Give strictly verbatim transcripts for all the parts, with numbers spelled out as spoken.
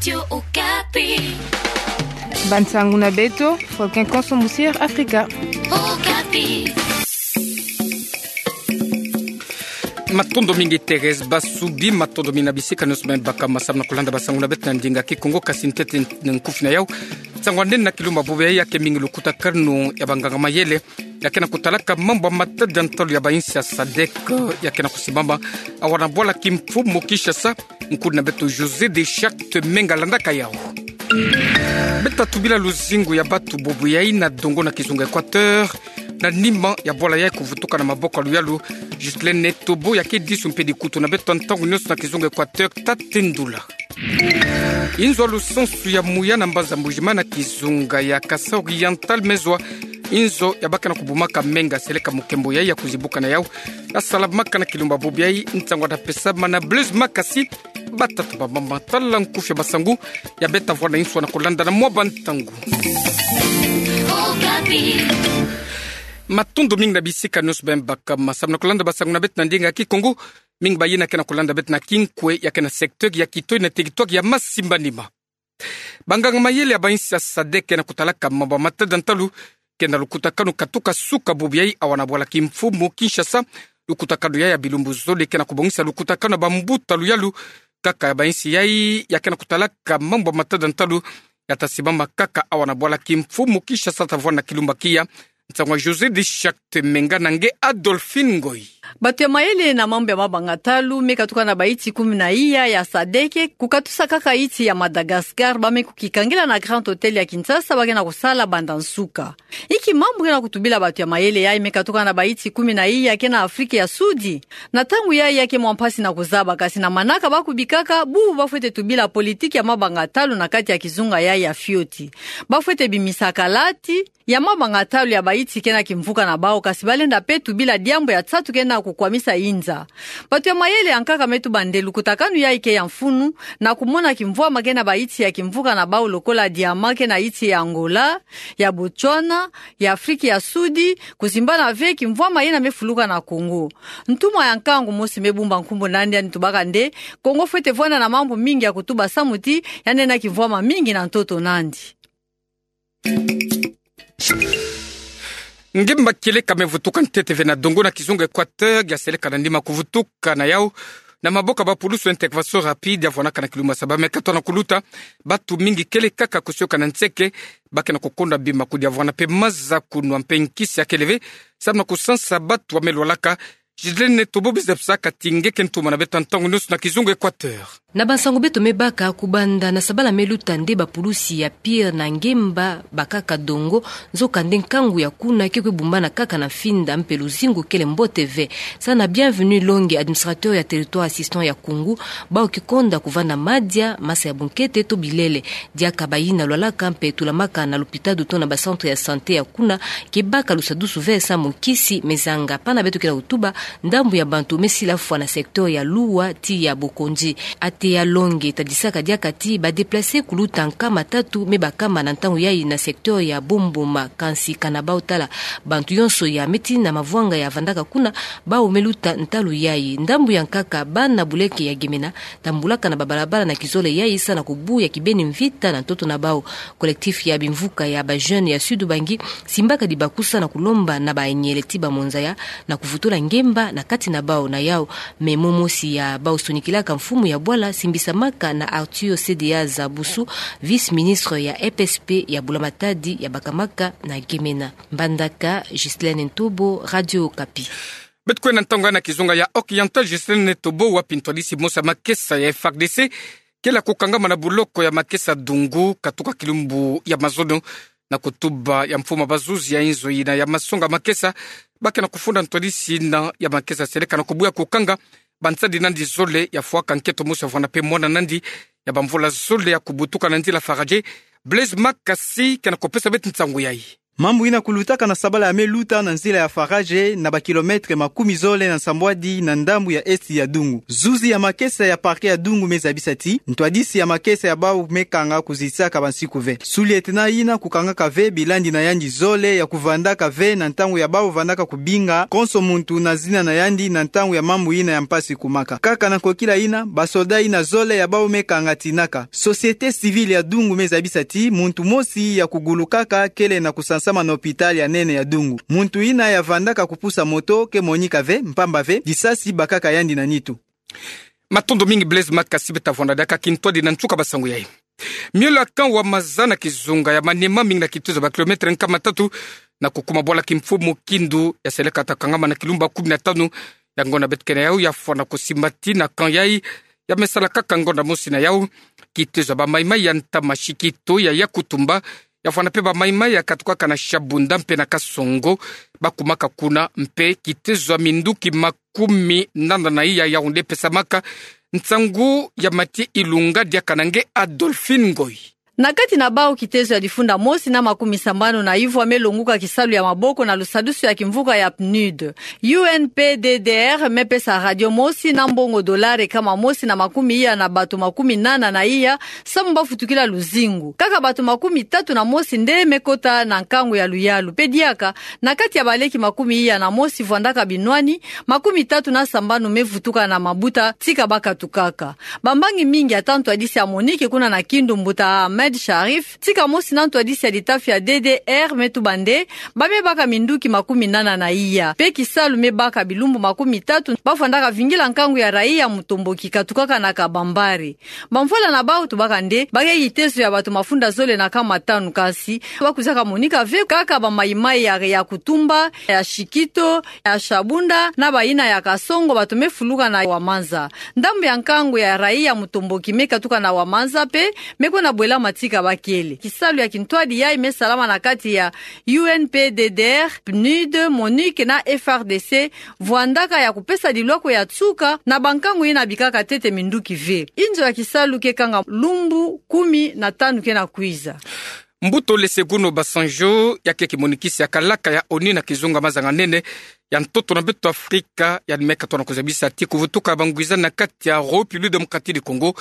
Radio Okapi. Bansangu na beto, Faustin Konso Musier Afrika. Okapi. Matondo mingi Thérèse Basubi, matondo mingi na bisika nyonso bima baka masamu na kulanda bansangu na beto na ndinga Kikongo, kasi ntete nkufi na yau. Nsangu anene na kilumbu bubu yayi ya ke mingi lukutakanu ya banganga mayele ya ke na kutalaka mambu ya matadi ya ntalu ya bainsi ya sadek ya ke na kusimbama awa na bwala kimfumu Kinshasa. Nkudi na beto José de Charte Menga landaka yau. Beta tubila luzingu ya batu bubu yayi na dongo na kizunga Équateur, na nima ya bwala yayi kuvutuka na maboko ya luyalu Ghislaine Tobo, ya ke disu mpe dikutu na beto ntangu nyonso na kizunga Équateur, tatendula. Inzo ya lusansu ya muya na mbanza Mbuji-Mayi na kizunga ya Kasaï Oriental, me zwa inzo ya ba ke na kubumaka menga seleka mukembo yayi ya kuzibuka na yau, ya salamaka na kilumbu bubu yayi. Nsangu ya ta pesama na Blaise Makasi. Batata, bamama, tala nkufi ya bansangu ya beta vwanda inso na kulanda na mwa bantangu. Matondo mingi na bisika nyonso bima baka masamu na kulanda bansangu na beto na ndinga Kikongo. Mingi bayina ke na kulanda beto na kinkwe ya ke na secteur ya kitoyi na territoire ya Masimbanima. Banganga mayele ya bainsi ya sadek ke na kutalaka mambu ya matadi ya ntalu ke na lukutakanu katuka suka bubu yayi awa na bwala kimfumu Kinshasa. Lukutakanu yayi ya bilumbu zole ke na kubongisa lukutakanu ya bambuta luyalu kaka ya bainsi yayi ya ke na kutalaka mambu ya matadi ya ntalu ya ta simbama kaka awa na bwala kimfumu Kinshasa, ta vwanda na kilumbu kia. Nsangu ya José de Charte Menga na nge Adolphine Ngoyi. Batu ya mayele na mambu ya mabanga ntalu me katuka na bainsi kumi na iya ya sadek, kukatusa kaka insi ya Madagascar, ba me kukikangila na Grand Hôtel ya Kinshasa, ba ke na kusala banda nsuka. Inki mambu ke na kutubila batu ya mayele yayi me katuka na bainsi kumi na iya ke na Afrika ya Sudi? Na ntangu yayi ya ke mwa mpasi na kuzaba, kasi na manaka ba kubikaka, bubu ba fwete tubila politiki ya mabanga ntalu na kati ya kizunga yayi ya fioti. Ba fwete bimisa kalati ya mabanga ntalu ya bainsi ke na kimvuka na bau, kasi ba lenda mpe tubila diambu ya nsatu ke na kukwamisa inza. Batu ya mayele ya nkaka me tuba nde lukutakanu yayi ke ya mfunu, na kumona kimvwama ke na bainsi ya kimvuka na bau lokola diamant ke na insi ya Angola, ya Botswana, ya Afrika ya Sudi, kusimbana ve kimvwama yina me fuluka na Congo. Ntumwa ya nkangu mosi me bumba nkumbu na yandi, yandi tubaka nde Congo fwete vwanda na mambu mingi ya kutuba samu ti yandi na kimvwama mingi na ntoto na yandi. Ngemba kieleka me vutuka ntete ve na dongo na kizunga Équateur, ya seleka na nima kuvutuka na yau na maboko ya bapulusu, intervention rapide, ya vwanaka na kilumbu ya saba. Me kato na kuluta, batu mingi kieleka ka kusioka na nseke, ba ke na kukonda bima kudi ya vwana mpe maza, kunwa mpe nkisi ya kele ve, samu na kusansa batu ba me lwalaka. Ghislaine Tobo, biza psa kati nge ke ntuma na beto ntangu nyonso na kizunga Équateur. Na bansangu beto me baka, kubanda na sabala me luta nde bapulusi ya pire na ngemba bakaka dongo, nzoka nde nkangu ya kuna ke kwe bumbana kaka na mfinda mpe luzingu kele mbote ve. Sa na Bienvenu Longe, administrateur ya territoire assistant ya Koungou, bau ke konda kuvanda madia, masa ya bunkete to bilele. Diaka bayina lwalaka mpe tulamaka na lopitalo to na ba centre ya santé ya kuna ke baka lusadusu ve samu nkisi me zanga. Pana beto ke na kutuba, ndambu ya bantu me sila fwa na secteur ya Loua ti ya Bokondi. Ateya Longe tadisaka diaka ti ba déplacer kuluta nkama tatu me bakama na ntangu yayi na secteur ya Bomboma, kansi kana bau tala bantu yonso ya me tina mavwanga ya vandaka kuna, bau me luta ntalu yayi. Ndambu ya nkaka, bana buleke ya Gemena tambulaka na babalabala na kizole yayi sa na kubuya kibeni mvita na ntoto na bau. Collectif ya bimvuka ya ba jeunes ya Sud-Ubangi simbaka dibakusa na kulomba na bayele ti bamonzaya na kuvutula ngemba na kati na bau. Na yau, me momosi ya bau sonikilaka mfumu ya bwala simbisamaka na Arthur Sedeya Zabusu, vice-ministre ya E P S P ya bula matadi ya bakamaka na Gemena. Mbandaka, Ghislaine Ntobo, Radio Okapi. Beto kwenda ntangu na kizunga ya Oriental, Ghislaine Ntobo, wapi ntwadisi mosi ya makesa ya F A R D C kele kukangama na buloko ya makesa Dungu, katuka kilumbu ya mazono, na kutuba ya mfumu ya bazuzi ya inzo yina ya masonga makesa, ba ke na kufunda ntwadisi yina ya makesa seleka na kubuya kukanga bansadi nandi zole ya fwaka nketo mosi ya vwanda mpe mwana nandi ya bamvula zole ya kubutuka na nzila Faradje. Blaise Makasi ke na kupesa beto nsangu yayi. Mambu ina kulutaka na sabala ya me luta na nzila ya Faradje na ba kilomètre makumi zole na nsambwadi na ndambu ya esti ya Dungu. Zuzi ya makesa ya parquet ya Dungu me zabisa ti ntwadisi ya makesa ya bau me kanga kuzitsaka bansiku ve. Sous-lieutenant ina kukangaka ve bilandi na yandi zole ya kuvandaka ve na ntangu ya bau vandaka kubinga konso muntu na zina na yandi na ntangu ya mambu ina ya mpasi kumaka. Kaka na nkokila ina, ba soldats ina zole ya bau me kangatinaka. Société civile ya Dungu me zabisa ti muntu mosi ya kugulukaka kele na kusansama na hôpital ya nene ya Dungu. Muntu ina ya vandaka kupusa moto ke monika ve, mpamba ve disasi bakaka yandi na nitu. Matondo mingi Blaise Makasi. Beta vwanda diaka kintwadi na nsuka ba sango yayi. Miole ya camp Wamaza na kizunga ya Maniema, mingi na kitezo ya ba kilomètre nkama tatu na kukuma bwala kimfumu Kindu, ya seleka ta kangama na kilumbu kumi na tanu ya ngonda. Beto kena yau ya fwana kusimbati na camp yayi, ya me sala kaka ngonda mosi na yau. Kitezo ya ba Maïmaï ya ntama Shikito ya Yakutumba, ya fwana pe ba Maïmaï ya katukaka na Shabunda mpe na Kasongo, ba kumaka kuna. Mpe kitezo ya minduki makumi nana na iya ya yaoundé pesamaka nsangu ya Mathieu Ilunga diaka na nge Adolphine Ngoyi. Na kati na bau kitezo ya difunda mosi na makumi sambanu na ivwa me longuka kisalu ya maboko na lusadusu ya kimvuka ya PNUD. U N P D D R me pesa radio mosi na mbongo dolare kama mosi na makumi iya na bato makumi nana na iya samu ba futukila luzingu. Kaka bato makumi tatu na mosi nde me kota na nkangu ya luyalu. Pe diaka, na kati ya baleki makumi iya na mosi vwandaka binwani, makumi tatu na sambanu me vutuka na mabuta tika ba katukaka. Bambangi mingi, ata ntwadisi ya MONUC kuna na Kindu, mbuta Ahmed Sharif, tika mosi na ntwadisi ya litafi ya D D R, me tuba nde ba me baka minduki makumi nana na iya. Pe kisalu me baka bilumbu makumi tatu ba vwandaka vingila nkangu ya raia mutomboki katukaka na Kabambare. Bamvwala na bau tubaka nde ba ke kitezo ya bato mafunda zole na nkama tanu, kasi ba kwizaka monika ve kaka ba Maïmaï ya, ya Yakutumba, ya Shikito, ya Shabunda na bayina ya Kasongo, bato me fuluka na Wamaza. Ndambu ya nkangu ya raia mutomboki me katuka na Wamaza pe me kwenda bwelama tika ba kele. Kisalu ya kintwadi yayi me salama na kati ya U N P D D R, PNUD, MONUC na F R D C, vwandaka ya kupesa dilwako ya nsuka na bankangu yina bikaka ntete minduki ve. Inzo ya kisalu ke kanga lumbu kumi na tanu ke na kwiza. Mbuta Olusegun Obasanjo, ya ke kimonikisi ya kalaka ya ONU na kizunga mazanga-nene ya ntoto na beto Afrika, ya me katono kuzabisa ti kuvutuka bangwizani na kati ya République Démocratique du Congo,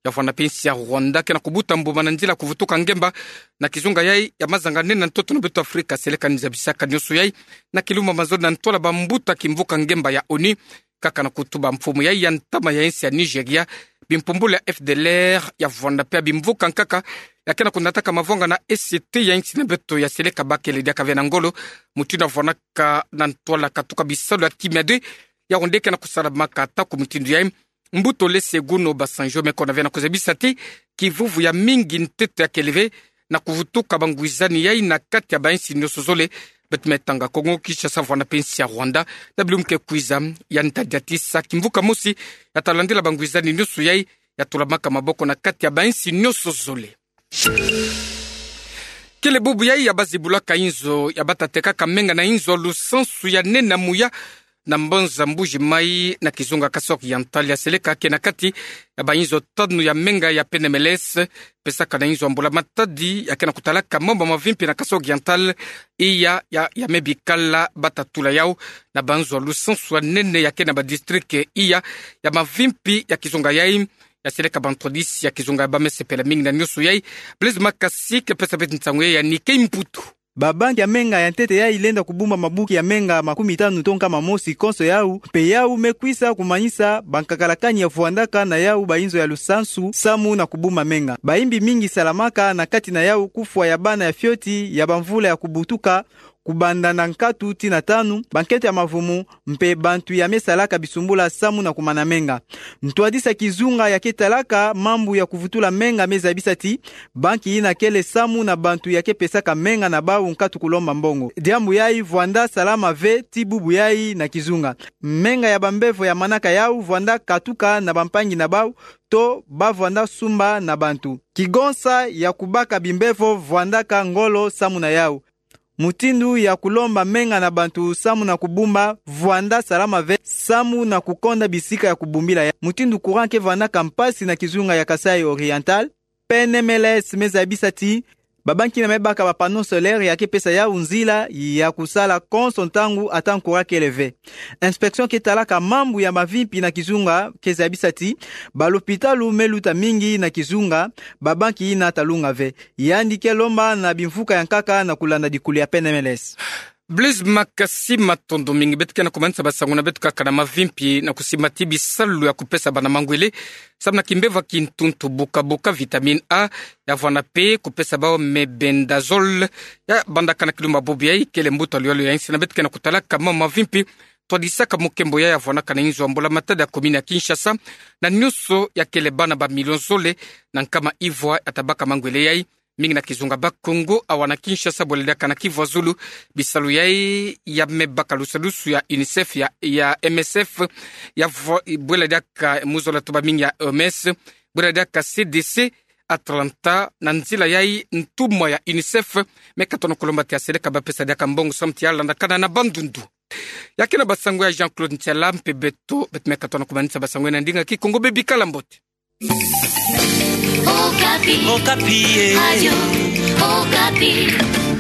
ya vwanda pe nsi ya Rwanda ke na kubuta mbuma na nzila kuvutuka ngemba na kizunga yayi ya mazanga-nene na ntoto na beto Afrika. Seleka ni zabisaka nionso yayi na kilumbu mazole na ntwala bambuta kimvuka ngemba ya ONU, kaka na kutuba mfumu yayi ya ntama ya insi ya Nigeria, bimpumbulu ya F D L R ya vwanda pe ya bimvuka nkaka ya ke na kunataka mavwanga na E C T ya insi na beto, ya seleka ba kele diaka ve na ngolo mutindu ya vwandaka na ntwala katuka bisalu ya kimiadi, yaoundé ke na kusalamaka. Ata ku mutindu yayi, mbuta Olusegun Obasanjo me kona ve na kuzabisa ti kivuvu ya mingi ntete ya kele ve na kuvutuka bangwizani yayi na kati ya bainsi nionso zole. Beto me tanga Congo Kinshasa, vwanda pe nsi ya Rwanda, na bilumbu ke kwiza, ya nta diatisa kimvuka mosi ya ta landila bangwizani nionso yayi ya tulamaka maboko na kati ya bainsi nionso zole. Kele bubu yayi ya bazibulaka inzo ya bata tekaka menga na inzo lusansu ya nene ya muya na mbanza Mbuji Mayi na kizunga Kasaï Oriental, ya seleka ke na kati ya bainzo tanu ya menga ya Pnemeles, pesaka na inzo ya mbula matadi ya ke na kutalaka mambu mavimpi na Kasaï Oriental, iya ya, ya me bikala bata tula yau na banzo lusansu ya nene ya ke na badistrict iya ya mavimpi ya kizunga yayi. Ya seleka bantwadisi ya kizunga ya ba me sepela mingi na nionso yayi. Blaise Makasi ke pesa beto nsangu yayi ya Nick Mputu. Babanki ya menga ya ntete yayi lenda kubumba mabuki ya menga makumi tanu to nkama mosi konso yau, mpe yau me kwisa kumanisa bankakalakani ya vwandaka na yau bainzo ya lusansu samu na kubumba menga. Bayimbi mingi salamaka, na kati na yau kufwa ya bana ya fioti ya bamvula ya kubutuka, kubanda na nkatu tii na tanu, bankento ya mavumu, mpe bantu ya me salaka bisumbula samu na kumana menga. Ntwadisi ya kizunga ya ke talaka mambu ya kuvutula menga me zabisa ti banki yina kele samu na bantu ya ke pesaka menga na bau nkatu kulomba mbongo. Diambu yayi vwanda salama ve tii bubu yayi na kizunga. Menga ya bambevo ya manaka yau vwanda katuka na bampangi na bau, to ba vwanda sumba na bantu. Kigonsa ya kubaka bimbevo vwandaka ngolo samu na yau. Mutindu ya kulomba menga na bantu samu na kubumba vwanda salama ve samu na kukonda bisika ya kubumbila yau. Mutindu courant ke vwandaka mpasi na kizunga ya Kasaï Oriental, Pnemeles me zabisa ti Babanki na me baka ba panneau solaire ya ke pesa yau nzila ya kusala konso ntangu ata nkura kele ve. Inspection ke talaka mambu ya mavimpi na kizunga ke zabisa ti balopitalu me luta mingi na kizunga, babanki na talunga ve. Yandi ke lomba na bimvuka ya nkaka na kulanda dikulu ya P N M L S. Blaise Makasi, matondo mingi. Beto ke na kumanisa basangu na beto kaka na mavimpi na kusimba ti bisalu ya kupesa bana mangwele, samu na kimbeva ki ntuntu, buka-buka, vitamine A, ya vwanda mpe kupesa bau mebendazole. Ya bandaka na kilumbu bobo yai kele mbuta luyalu ya insi, na beto ke na kutalaka mama mavimpi. Twadisaka mukembo yai ya vwanaka na inzo ya mbula-matadi ya commune ya Kinshasa, na nyonso ya kele bana ba million zole na nkama ivwa ya tabaka mangwele yai. Mingi na kizunga Bakongo awa na Kinshasa, bwela diaka na kivwa zulu. Bisalu yai ya me baka lusadusu ya UNICEF, ya, ya M S F, ya vwa-, bwela diaka muzola toba mingi ya O M S, bwela diaka C D C, Atlanta, na nzila yai ntumwa ya UNICEF me katono kulomba ti aseleka bapesa diaka mbongo samu ti alandakana na bandundu. Ya ke na basangu ya Jean-Claude Ntiala mpe beto, beto me katono kumanisa basangu na ndinga Kikongo, bebikala mbote. Okapi. Okapi, eh. Radio Okapi.